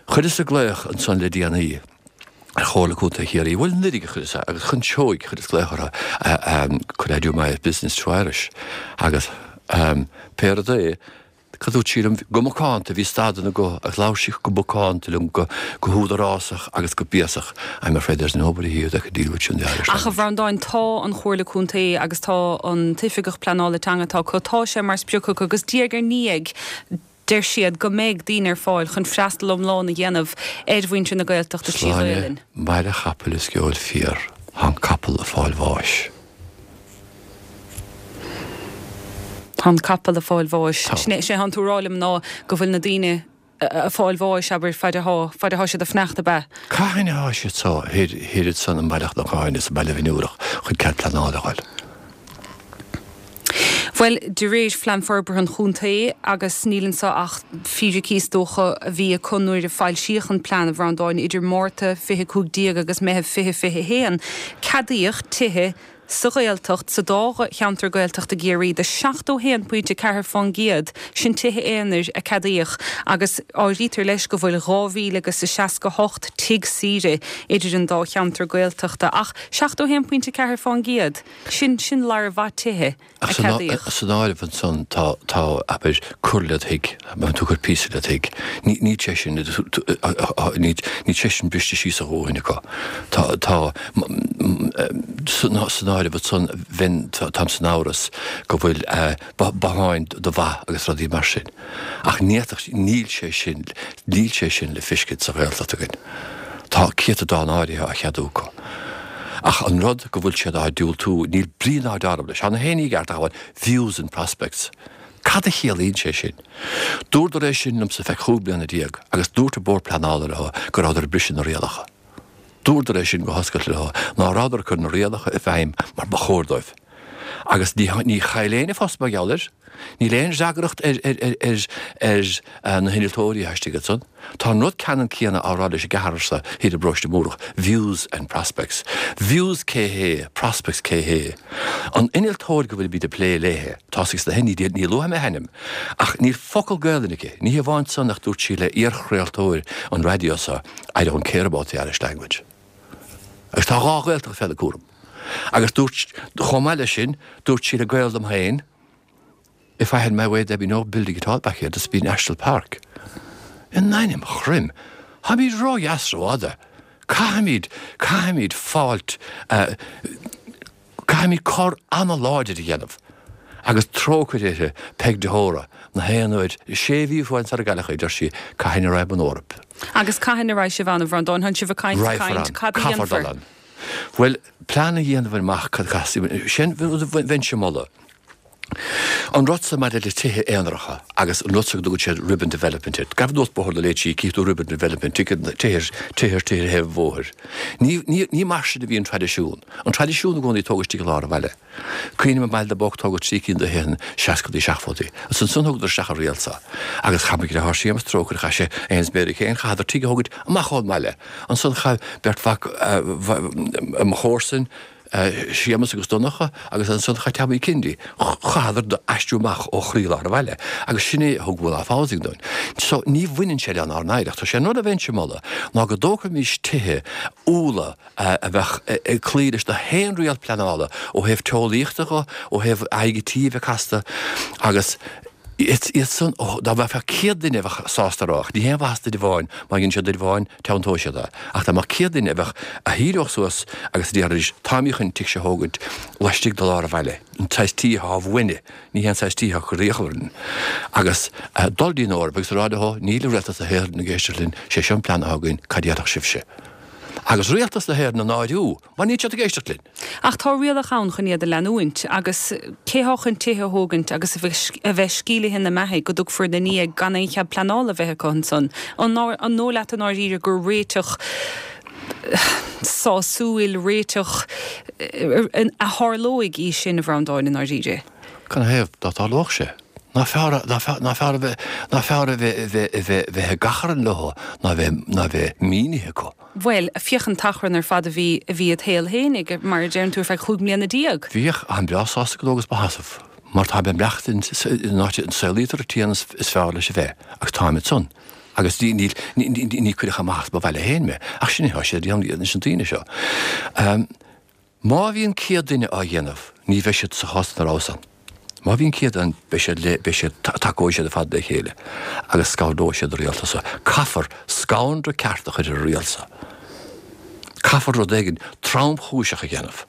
chuireas-sa glaoch ansan le déanaí ar Chomhairle Contae Chiarraí, bhuel anuraidh a chuireas é, agus chun seoigh chuireas glaoch orthu, could I do my business to Irish? Agus pé rud é, cad dúirt sí liom, go macánta, bhí stad ina guth agus labhair sí go macánta liom, go húdarásach agus go béasach, I'm afraid there's nobody here that could deal with you in the Irish
Ach a
language.
Bhreandáin, tá an Chomhairle Contae agus tá an tOifigeach Pleanála Teanga atá acu, tá sé mar sprioc acu agus diaidh ar ndiaidh, Deir siad go mbeidh daoine ar fáil chun freastal iomlán a dhéanamh ar mhuintir na Gaeltachta
Sláine,
Ghaelainn.
maille chapaill is sceoil fiar, thá an capall a fáil bháis.
Thá an capall a fáil bháis.
Tá.
Sin é, sin é thánn tú a rá liom ná go bhfuil na daoine a fáil bháis, abair, faid athá, faid athá siad a fanacht, ab ea?
Cathain athá siad so thoir, thoir ansan i mBaile Chnocáin is i mBaile Bhinn Iúrach chun cead pleanála a fháil?
Bhuel, de réir Phlean Forbartha an Chontae, agus níl anseo ach fíricí is dócha a bhí acu nuair a foilsíodh an plean, a Bhreandáin, idir Márta 2015 agus Meitheamh 2021, ceadaíodh tithe sa Ghaeltacht, sa dá cheantar Gaeltachta i gCiarraí, do 71.4 fán gcéad, sin tithe aonair a ceadaíodh, agus áirítear leis go bhfuil 2,000 agus a 68 tigh saoire idir an dá cheantar Gaeltachta, ach 71.4 fán gcéad! Sin, sin lear mhaith tithe a
Ach
ceadaíodh.
san áireamh ansan tá, tá, abair, cur led thigh, má tú ag cur píosa led thigh, ní, níl sé sin, níl, níl sé sin briste síos a dhóthain acu. Tá, tá, san, san áireamh ansan bheinn, táim san amhras go bhfuil botháin do bha agus rudaí mar sin. Ach ní fhéadfadh, níl sé sin, níl sé sin le fiscint sa Ghaeltacht againn. Tá céatadán áirithe á cheadú acu. Ach an rud go bhfuil siad á diúltú, níl brí ná dealramh leis. Tá na haon ní i gceart ach amháin views and prospects. Cad a chiallaíonn sé sin? Dúradar é sin liomsa feadh chúig bliana déag agus dúirt an Bord Pleanála leo go rabhadar ag briseadh na rialacha. Dúradar é sin go hoscailte leo, ná rabhadar ag cur na rialacha i bhfeidhm mar ba chóir dóibh. Agus ní ní chaill éinne post mar gheall air. Níl aon fhreagracht ar ar ar na hinnealtóirí atá istigh ansan. Tá an rud ceannann céanna á rá leis an gceathrar so thiar i bParóiste Múrach, views and prospects. Views cé hé, prospects cé hé. An innealtóir go bhfuilimid ag plé léithe, tá sí sna ní ní luafaidh mé a hainm, ach níl focal Gaelainne aici. Ní hamháin san ach dúirt sí le iarchraoltóir an raidió so, I don't care about the Irish language. Agus tá dhá Ghaeltacht fé na cúram. Agus dúirt, chomh maith leis sin, dúirt sí le gaol dom féin, If I had my way there'd be no building at all back here, this'd be National Park. In ainm Chroim! Táimid ródheas rófhada. Caithfimid, caithfimid fáilt, caithfimid cor an-láidir a dhéanamh. Agus trócaire uirthi, Peig de hÓra, na haon uair, sé mhí faoin sar a gcailleadh í, deir sí, cathain a raghaidh an Eoraip?
Agus cathain a raghaidh sibh ann, a Bhreandáin? Tánn sibh ag caint, ag
Raghfar
caint,
ann.
cad a
Caithfear dul
dhéanfar?
ann. Bhuel, plean a dhéanamh amach cad a chaithfeas, sin rud a bheinnse a mholadh. An rud so maidir le tithe aonaracha agus an rud so go dtugann siad ribbon development air. Gabh anuas Bóthar na Léinsí, cífidh tú ribbon development, tithe, tithe, tithe ar thaobh an bhóthair. Ní, ní, ní mar sin a bhí an traidisiún. An traidisiún i gcónaí tógadh istigh i lár an bhaile. Cuimhním i mBaile na bPoc tógadh trí cinn de thithe sna seascadaí seachtóidí. Agus ansan thugadar isteach an riail so. Agus chaith mo dheartháir Séamus trócaire chaith sé é féin is Mary Kane, chaitheadar tigh a thógaint amach ón mbaile. Ansan chaith beirt mhac mo chomharsain, Séamus agus Donncha, agus ansan chaith Tommy Kennedy, chaitheadar aistriú amach ó chroílár an bhaile. Agus sin é a thug one-off housing dúinn. So ní bhaineann sé lenár n-oidhreacht. So sé an rud a bheinnse a mholadh ná go dtógfaimis tithe úlla, a bheadh ag cloí leis na haon riail pleanála ó thaobh teolaíochta dho, ó thaobh aghaidh an tí a bheith casta agus iad san, dá mbeadh 100 duine a bheadh sásta a rá, ach ní haon mhaitheas duine amháin, má dhein siad duine amháin, teanntóidh siad é. Ach dá mbeadh 100 duine a bheadh, a shíneodh suas agus a déarfaidís, táimid chun an tigh seo a thógaint laistigh de lár an bhaile, an saghas tí atá uainne, ní hé an saghas tí atá ag cur iachall orainn. Agus dul dtí an Eoraip agus a rá leo, níl Rialtas na hÉireann ag éisteacht linn, sé seo an plean atá againn, cad a déarfadh sibhse? Agus Rialtas na hÉireann a náiriú, mar níl siad ag éisteacht linn.
Ach tá rialacha ann chun iad a leanúint, agus cé thá chun tithe a thógaint agus a bheith sceimhlithe ina mbeathaidh go dtugfar ina ndiaidh gan aon chead pleanála a bheith acu ansan? An dóigh leat i ndáiríre gur réiteach. sásúil, réiteach a tharlóidh í sin, a Bhreandáin, i ndáiríre?
Canathaobh dá dtarlódh sé? Nach fearr, nach fearr, nach fearr a bheith, nach fearr a bheith, a bheith, bheith ag achrann leo ná bheith, ná bheith mínithe acu?
Bhuel, féach an t-achrann ar fad a bhí, a bhí id shaol fhéinig, mar a deireann tú, ar feadh chúig mbliana.
Bhíodh, táim breá sásta go dtógas mo sheasamh, mar táim ag maireachtaint in áit a saolaítear an t-éan is fearr leis a bheith, agus táim ansan. Agus ní, ní, ní, ní cuireadh amach as mo bhaile féin mé, ach sin é atá siad a dhéanamh leis na daoine seo. Má bhíonn 100 duine á dhéanamh, ní bheidh siad sa chás ina rabhas ann. Má bhíonn 100 ann, beidh siad le, beidh siad, tacóidh siad ar fad le chéile agus scanróidh siad an rialtas seo. Caithfear scanradh ceart a chur ar an rialtas seo. Caithfear rud éigin tromchúiseach a dhéanamh.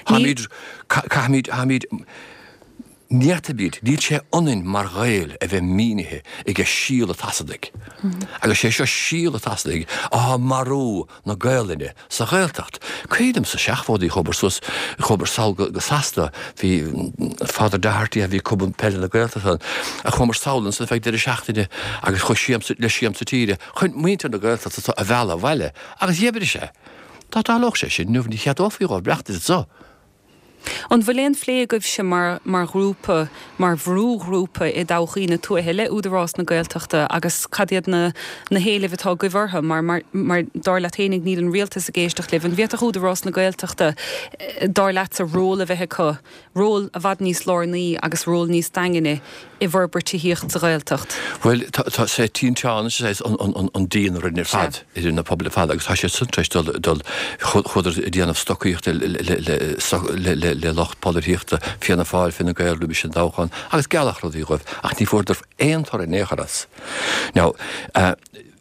Táimid, caithfimid, táimid, Ní fhéadfaimid, níl sé ionainn mar Ghaeil a bheith mínithe aige síol an tSasanaigh. Agus sé seo síol an tSasanaigh atá marú na Gaelainne sa Ghaeltacht. Cuimhin liom sna seachmhóidí chuamar suas, chuamar sall go Sasana, bhí Father Doherty a bhí Cumann Peile na Gaeltachta ann, a chuamar sall ansan feadh deireadh seachtaine agus chuaigh siamsa, le siamsa tíre chun muintir na Gaeltachta a mhealladh abhaile agus dh'oibrigh sé. Dá dtarlódh sé sin inniu ní cheadófaí dhóibh maireachtaint anso.
An bhfuil aon phlé agaibhse mar mar ghrúpa, mar bhrúghrúpa i dtodhchaí na tuaithe le Údarás na Gaeltachta agus cad iad na na héilimh atá agaibh orthu mar mar mar dar leat fhéinig níl an rialtas ag éisteacht libh. An bhféadfadh Údarás na Gaeltachta dar leatsa ról a bheith acu, ról i bhfad níos lárnaí agus ról níos daingne i bhforbairt tithíocht sa Ghaeltacht?
Bhuel, tá sé tinteán is é an díon a rinne ar fad idir na pobail ar fad agus tá siad san tar éis dul, dul, chuadar ag déanamh stocaíochta le lucht polaitíochta, Fianna Fáil, Fine Gael roimis an dtoghchán agus gealladh rudaí dhóibh ach ní fuaireadar aon toradh in aon chor as. Now,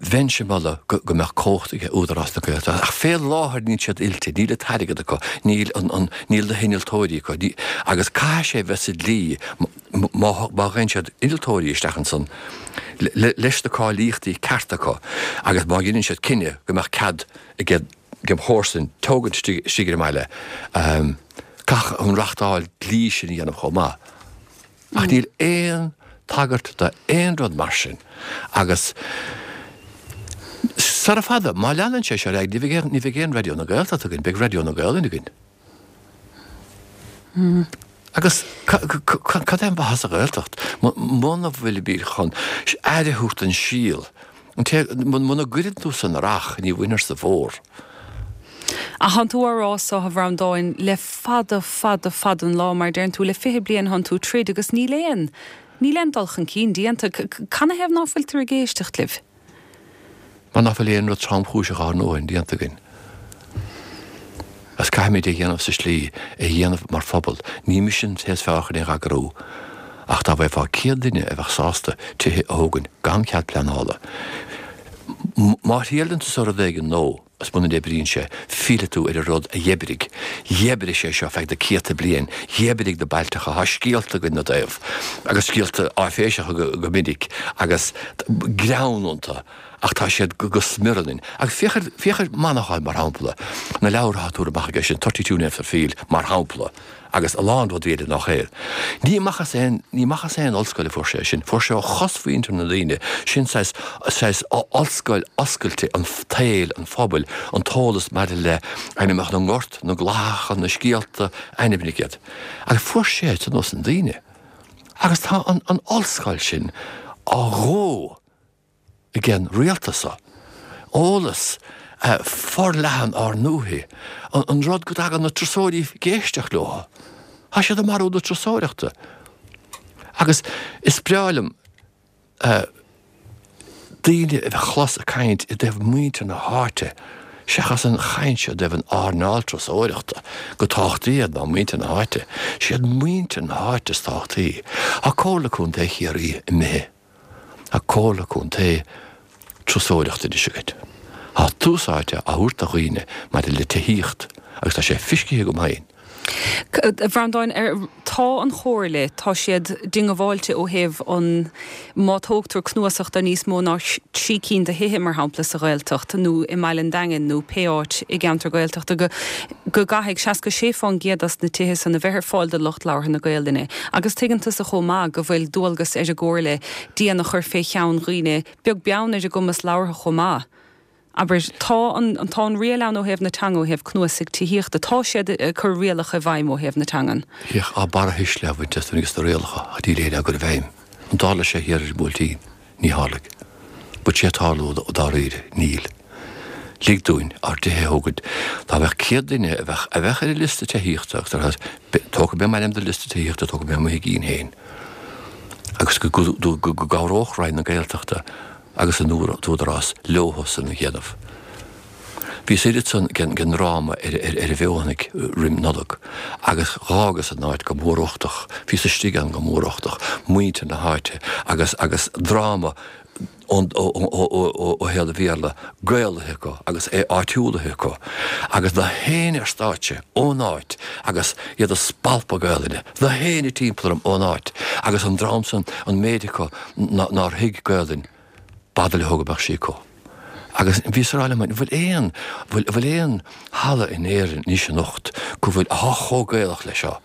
bheinnse ag moladh go mbeadh cumhacht ag Údarás na Gaeltachta ach fé láthair níl siad oilte, níl an t-airgead acu, níl an, níl na hinnealtóirí acu agus caithfidh sé bheith sa dlí má gheibheann siad innealtóirí isteach ansan leis na cáilíochtaí cearta acu agus má dheineann siad cinneadh go mbeadh cead ag an chomharsain tógaint istigh ar an mbaile, caithfidh an reachtáil dlí sin a dhéanamh chomh maith. Ach níl aon tagairt do aon rud mar sin agus sara fada, má leanann sé seo ar aghaidh, ní bheidh aon, ní bheidh aon Raidió na Gaeltachta againn, beidh Raidió na Gaolainne againn. Agus cad é an mhaitheas sa Ghaeltacht muna bhfuilimid chun aire a thabhairt don síol? An té, muna gcuireann tú san earrach, ní bhainfir sa bhfómhar.
Ach thánn tú á rá so, a Bhreandáin, le fada, fada, fada an lá, mar a deireann tú, le 20 bliain thánn tú troid agus níl aon, níl aon dul chun cinn déanta. Canathaobh ná fuiltear ag éisteacht libh?
Mar ná fuil aon rud tromchúiseach ár ndóthain déanta againn. Agus caithfimid é a dhéanamh sa slí, é a dhéanamh mar phobal. Ní mise an té is fearr chun é a eagrú, ach dá bhfaighfeá 100 duine a bheadh sásta tithe a thógaint gan cead pleanála, má thriaileann tusa rud éigin nó, is muna n-oibríonn sé, fillfidh tú ar an rud a dh'oibrigh. Dh'oibrigh sé seo feadh na céadta bliain, dh'oibrigh na bailteacha, tá scéalta againn 'na dtaobh, agus scéalta áiféiseacha go minic, agus greann iontu. ach tá siad go smior ionainn. Agus féach ar, féach ar Manchán, mar shampla, na leabhartha atá tabhartha amach aige sin, 32 Names for Field, mar shampla, agus a lán rudaí eile nach é. Ní amach as aon, ní amach as aon ollscoil a fuair sé sin, fuair sé ó chosmhuintir na ndaoine, sin saghas, saghas ollscoil oscailte an tsaoil, an phobail, an t-eolas maidir le ainmneacha na ngort, na gclathacha, na scéalta, ainmnigh iad. Agus fuair sé san ós na daoine. Agus tá an, an ollscoil sin á dhó. ag an rialtas seo, eolas forleathan ár ndúiche, an rud go dtagann na turasóirí ag éisteacht leo. Tá siad ag marú na turasóireachta. Agus is breá liom daoine a chlos ag caint i dtaobh muintir na háite seachas an chaint seo i dtaobh an earnáil turasóireachta, gur tábhachtaí iad ná muintir na háite. Siad muintir na háite is tábhachtaí. Tá Comhairle Contae Chiarraí imithe. Tá Comhairle Contae Turasóireachta anois agat. Tá tús áite á thabhairt do dhaoine maidir le tithíocht agus tá sé fiscithe agam féin.
A Bhreandáin, tá an Chomhairle, tá siad diongbháilte ó thaobh an, má tógtar cnuasach de níos mó ná 3 cinn de thithe, mar shampla, sa Ghaeltacht nó i mBaile an Daingin nó pé áit i gceantar Gaeltachta, go go gcaithfidh 66% as na tithe san a bheith ar fáil do lucht labhartha na Gaelainne. Agus tuigeann tusa chomh maith go bhfuil dualgas ar an gComhairle díon a chur fé cheann dhaoine, beag beann ar a gcumas labhartha chomh maith. Abair, tá an, tá an riail ann ó thaobh na teanga, ó thaobh cnuasaigh tithíochta, tá siad ag cur rialacha i bhfeidhm ó thaobh na teangan.
Féach, á barrathuisle á bhaint as agus na rialacha á díléir á gcur i bhfeidhm. An dtarla sé thiar ar an mBuailtín? Ní tharlaigh. Bhfuil sé ag tarlú dáiríre? Níl. Lig dúinn ár dtithe a thógaint. Dá mbeadh 100 duine a bheadh, a bheadh ar an liosta tithíochta agus ar, tógfaidh mé m'ainm den liosta tithíochta, tógfaidh mé mo thigín féin. Agus go, go, go gcabhródh Roinn na Gaeltachta agus an t-údarás leothusan a dhéanamh. Bhíos oiread san den ndráma ar an bhFeothanaigh roim Nollag agus dh'fhágas an áit go mór uchtach, bhíos istigh ann go mór uchtach, muintir na háite agus agus dráma ón ó ó shaol an Bhéarla gaelaithe acu agus é áitiúlaithe acu agus na héinne ar stáitse ón áit agus iad ag spalpadh Gaelainne, na héinne timpeall orm ón áit agus an dream san an méid acu nár thuig Gaelainn, b'fhada leo go mbeadh sí acu. Agus bhíos ag rá liom, an bhfuil aon, bhfuil, bhfuil aon halla in Éirinn anois anocht go bhfuil, athá chomh Gaelach le seo?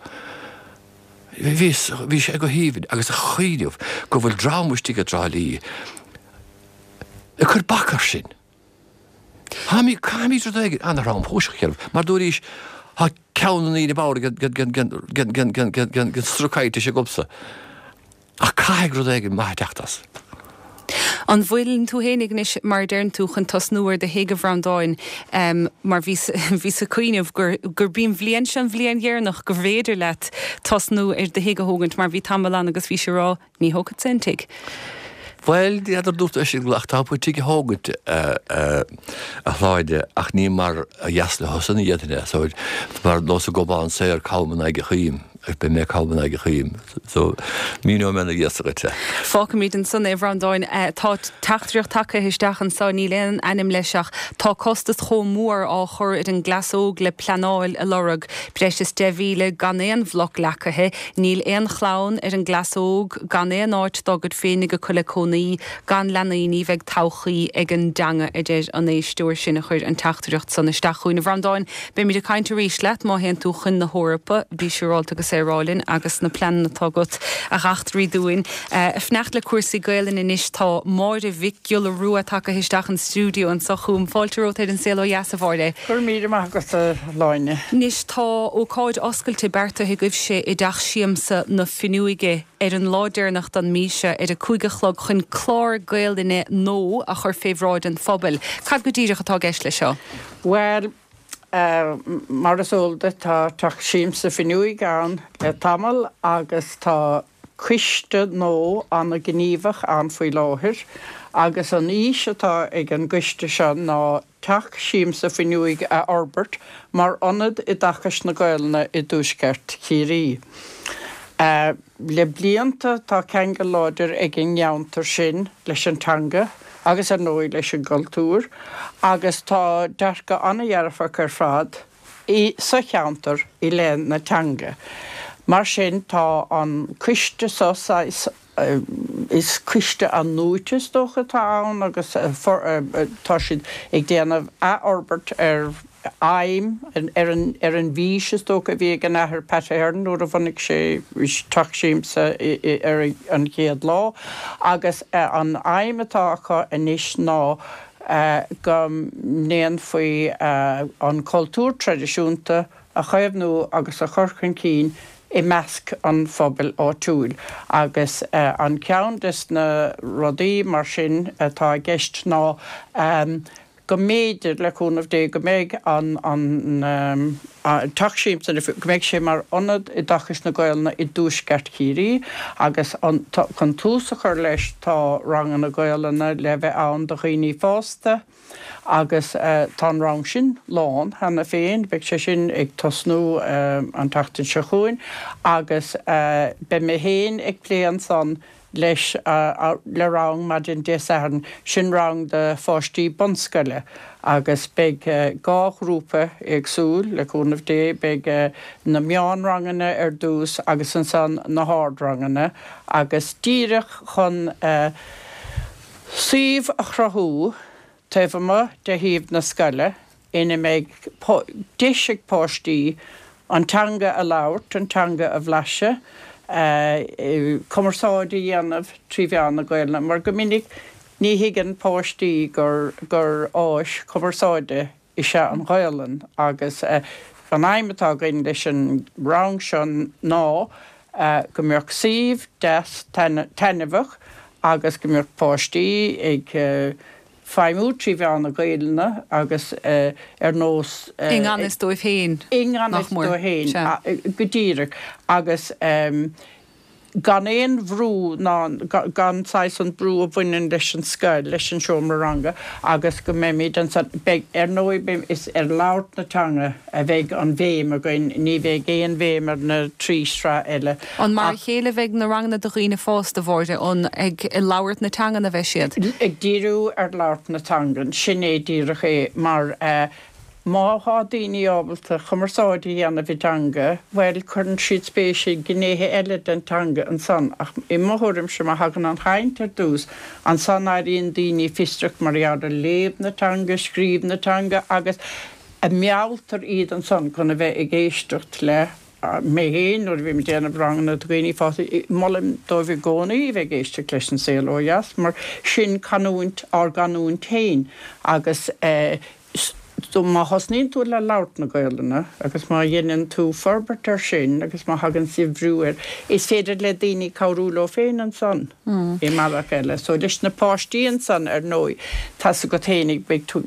Bhíos, bhí sé go haoibhinn agus a chuimhneamh go bhfuil dream istigh i dTrá Lí ag cur bac air sin. Táimid, caithfimid rud éigin an-thromchúiseach a dhéanamh, mar dúraís, tá ceann na ndaoine bodhar den strocaitis agamsa. Ach caithfidh rud éigin maith teacht as.
An bhfuileann tú fhéinig anois, mar a deireann tú, chun tosnú ar do thigh, a Bhreandáin, mar bhíos, bhíos ag cuimhneamh gur, gurb í an bhliain seo an bhliain dheireanach go bhféidir leat tosnú ar do thigh a thógaint, mar bhí tamall ann agus bhís ag rá, Ní thógfadsa aon tigh.
Bhuel, n'fheadar dúirt é sin ach tá tú tigh a thógaint, a Shláine, ach ní mar a dheas le thusa a dhéanfainn é, so mar nós an gobán saor cam in aghaidh an choim, agus beidh mé cam in aghaidh an choim, so míneoidh mé ina dhiaidh san dhuit é.
Fágfaimid ansan é, a Bhreandáin. Tá teachtaireacht tagtha isteach anso, níl aon ainm leis ach tá costas chomh mór á chur ar an gcleas óg le pleanáil a lorg, breis is 10,000 gan aon bhloc leacaithe, Níl aon chlann ar an gcleas óg, gan aon áit dá gcuid féinig acu le cónaí, gan leanaí, ní bheidh todhchaí ag an dteanga, a deir an éisteoir sin a chuir an teachtaireacht san isteach chugainn. A Bhreandáin, beimid ag caint arís leat má théann tú chun na hEorpa, bí siúrálta agus é a rá linn agus na pleananna atá agat a dh'eachtraí dúinn. Ag fanacht le cúrsaí Gaelainne anois tá Máire Mhic Giolla Rua tagtha isteach an stiúideo anso chugam. Fáilte romhat ar An Saol Ó Dheas, a Mháire.
Go raibh míle maith agat, a Shláine.
Anois tá ócáid oscailte beartaithe agaibhse i dTeach Siamsa na Fuinneoige ar an lá deireanach den mí seo ar a 5 a chlog chun clár Gaelainne nua a chur fé bhráid an phobail. Cad go díreach atá i gceist leis seo?
Bhuel, mar is eol duit tá Teach Siamsa Fuinneoige ann le tamall agus tá coiste nua an-ghníomhach ann faoi láthair agus an fhís atá ag an gcoiste seo ná Teach Siamsa Fuinneoige a fhorbairt mar ionad oideachais na Gaelainne i dTuaisceart Chiarraí. Le blianta tá ceangal láidir ag an gceantar sin leis an teanga agus ar ndóigh leis an gcultúr agus tá dearcadh an-dhearfach ar fad i sa cheantar i leith na teanga. Mar sin tá an coiste seo saghas, is coiste athnuaite is dócha atá ann agus tá siad ag déanamh athfhorbairt ar aidhm, ar an ar an bhfís is dócha a bhí ag an Athair Pat Ahern nuair a bhunaigh sé Teach Siamsa ar an chéad lá agus an aidhm atá acu anois ná go ndéanfaí an cultúr traidisiúnta a chaomhnú agus a chur chun cinn i measc an phobail áitiúil agus an ceann des na rudaí mar sin atá i gceist ná go mb'fhéidir, le cúnamh Dé, go mbeidh an an Teach Siamsa, go mbeidh sé mar ionad oideachais na Gaolainne i dTuaisceart Chiarraí agus chun tús a chur leis tá ranganna Gaolainne le bheith ann do dhaoine fásta agus tá an rang sin lán cheana féin, beidh sé sin ag tosnú an tseachtain seo chugainn agus beidh mé féin ag plé ansan leis le rang maidin Dé Sathairn, sin rang do pháistí bunscoile agus beidh dhá ghrúpa éagsúil, le cúnamh Dé, beidh na meánranganna ar dtús agus ansan na hardranganna agus díreach chun suíomh a chruthú taobh amuigh de shuíomh na scoile ina mbeidh deis ag páistí an teanga a labhairt, an teanga a bhlaiseadh, cumarsáid a dhéanamh trí mheán na Gaelainne, mar go minic. Ní thuigeann páistí gur gur áis chumarsáide is ea an Ghaolainn agus an aidhm atá againn leis an rang seo ná go mbeadh suíomh deas taitneamhach agus go mbeadh páistí ag feidhmiú trí mheán na Gaolainne agus ar nós.
I ngan fhios dóibh féin,
I ngan
nach
fhios
mór.
dóibh féin,
Sea.
go díreach. Agus. gan aon bhrú ná gan saghas an brú a bhaineann leis an scoil, leis an seomra ranga agus go mbeimid ansan, beidh, ar ndóigh, beidh, is ar labhairt na teanga a bheidh an bhéim againn, ní bheidh aon bhéim ar na trí shraith eile
An mar a
ach.
chéile a bheidh na ranganna do dhaoine fásta, a Mháire, an ag labhairt na teangan a bheidh siad?
Ag díriú ar labhairt na teangan, sin é díreach é mar Má thá daoine ábalta cumarsáid a dhéanamh i dteanga, bhuel, cuireann siad spéis i gnéithe eile den teanga ansan. Ach i mo thuairimse, má thagann an chaint ar dtús, ansan éiríonn daoine fiosrach mar gheall ar léamh na teanga, scríobh na teanga agus mealltar iad ansan chun a bheith ag éisteacht le mé féin nuair a bhím ag déanamh ranganna do dhaoine fásta, molaim dóibh i gcónaí a bheith ag éisteacht leis An Saol Ó Dheas mar sin canúint, ár gcanúint féin agus so má thosnaíonn tú le labhairt na Gaolainne agus má dheineann tú forbairt air sin agus má thagann saibhriú air, is féidir le daoine cabhrú leo féin ansan i mbealach eile. So leis na páistí ansan ar ndóigh, tá's agat féinig beidh tú,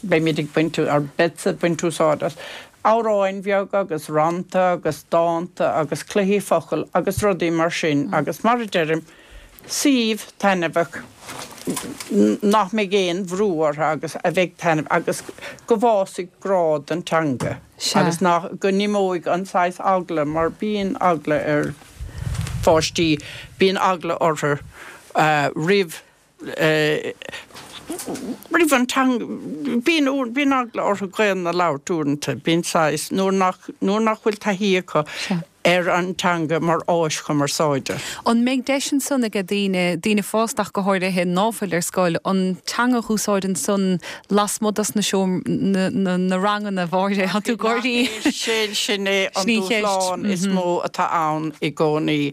beimid ag baint, or beadsa ag baint úsáid as amhráin bheaga agus rannta agus dánta agus cluichí focal agus rudaí mar sin agus mar a deirim, suíomh taitneamhach nach mbeidh aon bhrú orthu agus a bheidh taitneamh agus go bhfásfaidh grá don teanga agus nach, go n-imeoidh an saghas eagla mar bíonn eagla ar pháistí, bíonn eagla orthu roimh roimh an teanga, bíonn, bíonn eagla orthu Gaelainn a labhairt uaireanta, bíonn saghas, nuair nach, nuair nach bhfuil taithí acu ar an teanga mar áis chumarsáide.
An mbeidh deis ansan aige daoine, daoine fásta ach go háirithe, ná fuil ar scoil, an teanga a dh'úsáid ansan lasmuigh dos na seom, na, na, na ranganna, a Mháire, tá tú ag gáirí.
Sin, sin é an
Sin í an cheist.
dúshlán is mó atá ann i gcónaí.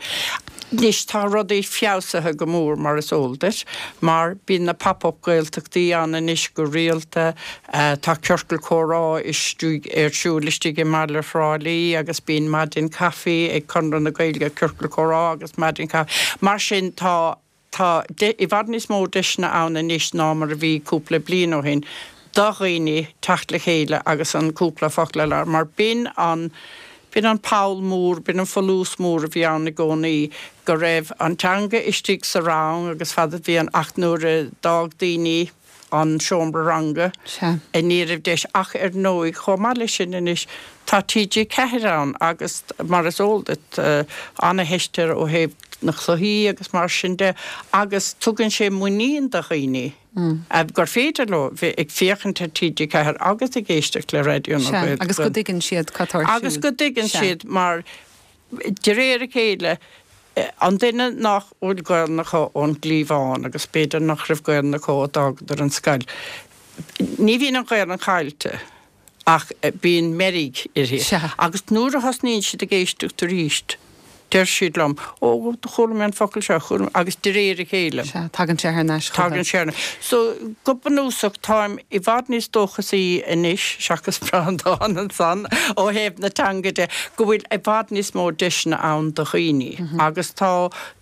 Anois tá rudaí feabhsaithe go mór mar is eol duit, mar bíonn na Pop Up Gaeltachtaí ann anois go rialta, tá ciorcal comhrá istigh ar siúl istigh i mbaile Thrá Lí agus bíonn maidin caife ag Conradh na Gaeilge, ciorcal comhrá agus maidin caife. Mar sin tá Tá i bhfad níos mó deiseanna ann anois ná mar a bhí cúpla bliain ó shin do dhaoine teacht le chéile agus an cúpla focal a labhairt mar b'in an, b'in an poll mór, b'in an folús mór a bhí ann i gcónaí go raibh an teanga istigh sa rang agus fad a bhí an, ach nuair a d'fhág daoine an seomra ranga. Ní raibh deis ach ar ndóigh chomh maith leis sin anois tá TG4 ann agus mar is eol duit ana-theist air ó thaobh na cluichí agus mar sin de agus tugann sé muinín do dhaoine gur féidir leo bheith ag féachaint ar TG4 agus ag éisteacht le Raidió na
Gaeltachta. Agus go dtuigeann siad cad tá ar siúl.
Agus go dtuigeann siad mar De réir a chéile, an duine nach bhfuil Gaolainn acu ón gcliabhán, agus b'fhéidir nach raibh Gaolainn acu ó d'fhágadar an scoil, ní bhíonn an Ghaolainn caillte ach bíonn meirg uirthi. Agus nuair a thosnaíonn siad ag éisteacht arís, deir siad liom, Ó, chuala mé an focal seo, chuala mé, agus de réir a chéile.
Sea, tagann sé thar n-ais
chucu. Tagann sé thar n-ais. So, go bunúsach, táim i bhfad níos dóchasaí anois, seachas Breandán ansan, ó thaobh na teanga de, go bhfuil i bhfad níos mó deiseanna ann do dhaoine agus tá,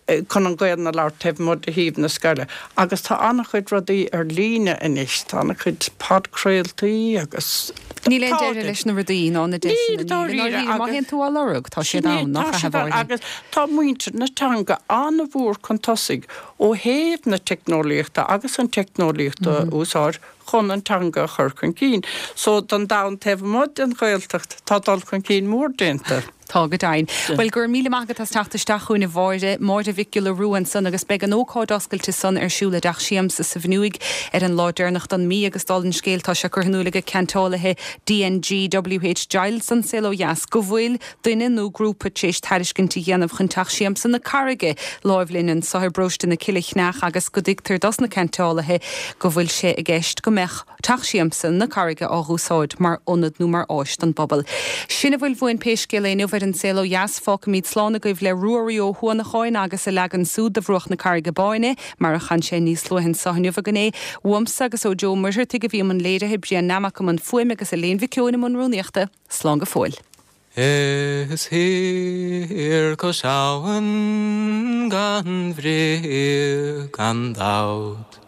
chun an Ghaelainn a labhairt taobh amuigh de shuíomh na scoile. Agus tá an-chuid rudaí ar líne anois, tá an-chuid podchraoltaí agus
Níl aon deireadh leis na rudaí ná na deiseanna, níl, i ndáiríre, má théann tú á lorg, tá siad ann, nach ea, a Mháire?
Agus tá muintir na teanga an-mhór chun tosaigh ó thaobh na teicneolaíochta agus an teicneolaíocht a úsáid chun an teanga a chur chun cinn. So, don domhan taobh amuigh den Ghaeltacht, tá dul chun cinn mór déanta.
Tá go deimhin. Bhuel, go raibh míle maith agat as teacht isteach chugainn, a Mháire. Máire Mhic Giolla Rua ansan agus beidh an ócáid oscailte san ar siúl i dTeach Siamsa sa Bhfionnúig ar an lá deireanach don mí agus dála an scéil tá sé curtha in iúl ag ceantálaithe DNG WH Giles don Saol Ó Dheas go bhfuil duine nó grúpa tar éis tairiscint a dhéanamh chun Teach Siamsa na Carraige láimh linn anso i bparóiste na Cille Chneach agus go dtuigtear dos na ceantálaithe go bhfuil sé i gceist go mbeadh Teach Siamsa na Carraige á dh'úsáid mar ionad nó mar áis don bpobal. Sin a bhfuil uainn pé scéal é inniu. ar An Saol Ó Dheas. Fágfaimid slán agaibh le Ruairí Ó hUanacháin agus a leagan súd de Bhruach na Carraige Báine, mar a chan sé níos luaithe anso inniu againn é. Uaimse agus ó Joe Muircheartaigh a bhí i mbun léirithe, Brian Nammock i mbun fuaime agus Elaine Mhic Eoin i mbun rúnaíochta. Slán go fóill.
Is thiar cois abhann gan bhrí gan dabht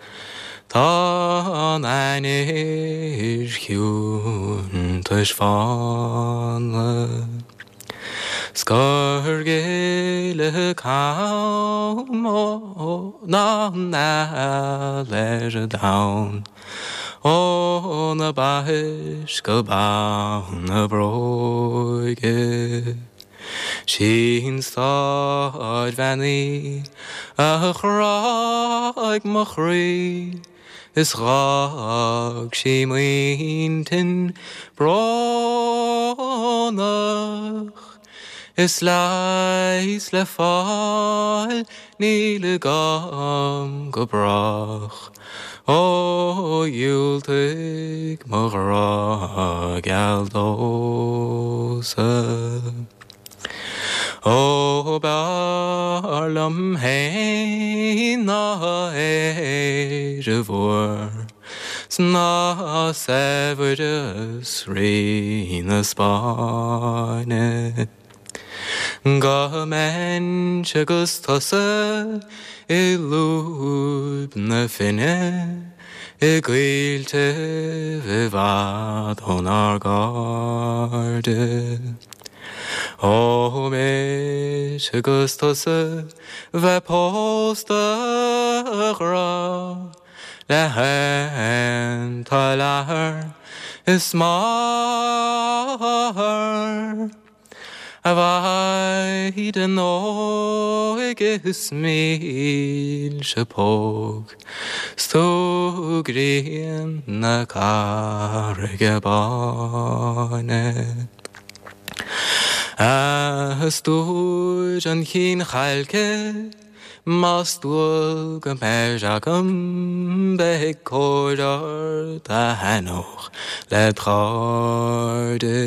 Tá an ainnir chiúin taispeánadh 'S gur gile cam ná an eal ar domhan. Óna baithis go bonn a bróige. 'Sí'n stáidbhean í a chráigh mo chroí is dh'fhág sí m'intinn brónach. Is leigheas le fáil níl agam go brách, Ó dhiúltaigh mo ghrá geal domhsa. Ó b'fhearr liom fhéin ná Éire mhór 's ná saibhreas Rí na Spáinne. Go mbeinnse 'gus tusa i lúib na finne i gcoilltibh i bhfad ónár gcairde. Ó mise 'gus tusa bheith pósta a ghrá le haon toil athar is máthar. A mhaighdean óig is mílse póg 's tú grian na Carraige Báine. A stór an chinn chailce más dual go mbeir agam beidh cóir ort a thaitneodh led chairde.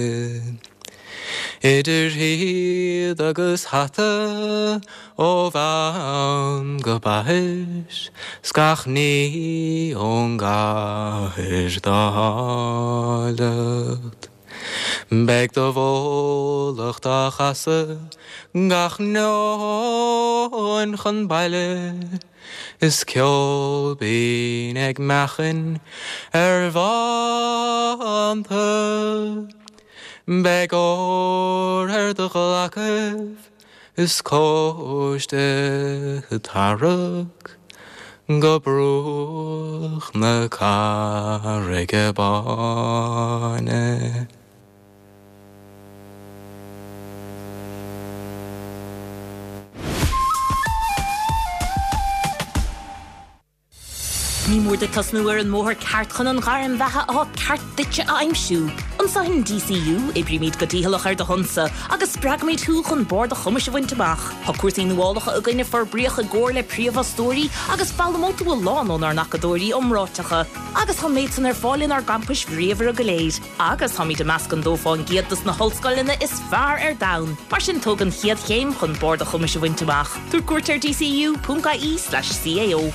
Idir shíoda agus hata ó bhonn go baithis 's gach ní ón gcathair dá háilleacht. Beidh do bhólacht á chasadh gach neoin chun baile is ceol binn ag meachain ar bhánta. Beidh ór ar do ghlacaibh is cóiste tarrac go bruach na Carraige Báine.
Ní mór duit tosnú ar an mbóthar ceart chun an ghairm bheatha atá ceart duitse a aimsiú. Anseo in DCU, oibrímid go dícheallach ar do shonsa agus spreagaimid thú chun barr do chumais a bhaint amach. Tá cúrsaí nuálacha againn a forbraíodh i gcomhar le príomhfhostóirí agus foghlaimeoidh tú a lán ónár n-acadóirí iomráiteacha. Agus tá an méid san ar fáil inár gcampais bhríomhara go léir. Agus táimid i measc an 2% dos na hollscoileanna is fearr ar domhan. Mar sin tóg an chéad chéim chun barr do chumais a bhaint amach. Tabhair cuairt ar dcu.ie/cao.